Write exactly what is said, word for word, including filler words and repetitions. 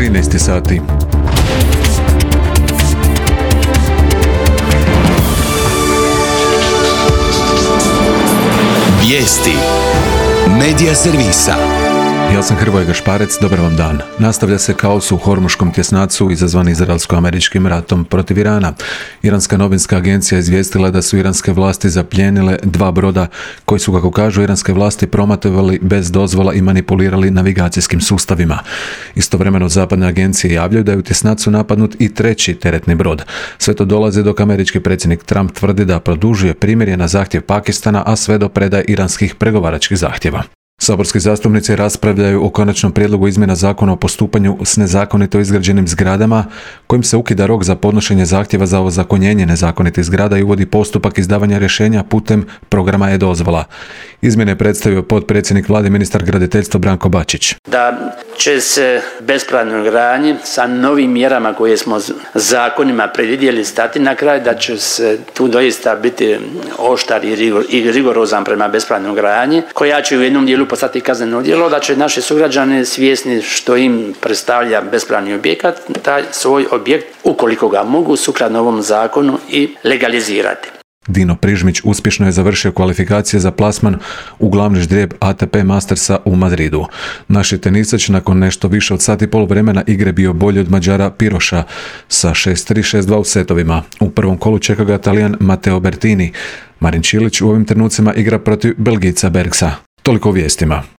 trinaest sati. Vijesti Medija servisa. Ja sam Hrvoje Gašparec, dobar vam dan. Nastavlja se kaos u Hormuškom tjesnacu izazvan izraelsko-američkim ratom protiv Irana. Iranska novinska agencija izvijestila da su iranske vlasti zapljenile dva broda koji su, kako kažu iranske vlasti, prometovali bez dozvola i manipulirali navigacijskim sustavima. Istovremeno zapadne agencije javljaju da je u tjesnacu napadnut i treći teretni brod. Sve to dolazi dok američki predsjednik Trump tvrdi da produžuje primirje na zahtjev Pakistana, a sve do predaje iranskih pregovaračkih zahtjeva. Saborski zastupnici raspravljaju o konačnom prijedlogu izmjena zakona o postupanju s nezakonito izgrađenim zgradama, kojim se ukida rok za podnošenje zahtjeva za ozakonjenje nezakonitih zgrada i uvodi postupak izdavanja rješenja putem programa e-dozvola. Izmjene je predstavio potpredsjednik vlade ministar graditeljstva Branko Bačić. Da će se bespravnoj gradnji sa novim mjerama koje smo zakonima predvidjeli stati na kraj, da će se tu doista biti oštar i, rigor, i rigorozan prema bespravnoj gradnji, koja će u jednom dijelu postati kazneno djelo, da će naši sugrađani svjesni što im predstavlja bespravni objekat, taj svoj objekt, ukoliko ga mogu, sukladno ovom zakonu i legalizirati. Dino Prižmić uspješno je završio kvalifikacije za plasman u glavni ždrijeb A T P Mastersa u Madridu. Naši tenisač nakon nešto više od sat i pol vremena igre bio bolji od Mađara Piroša sa šest tri šest dva u setovima. U prvom kolu čeka ga Talijan Matteo Bertini. Marin Čilić u ovim trenucima igra protiv Belgijca Bergsa. Toliko o vijestima.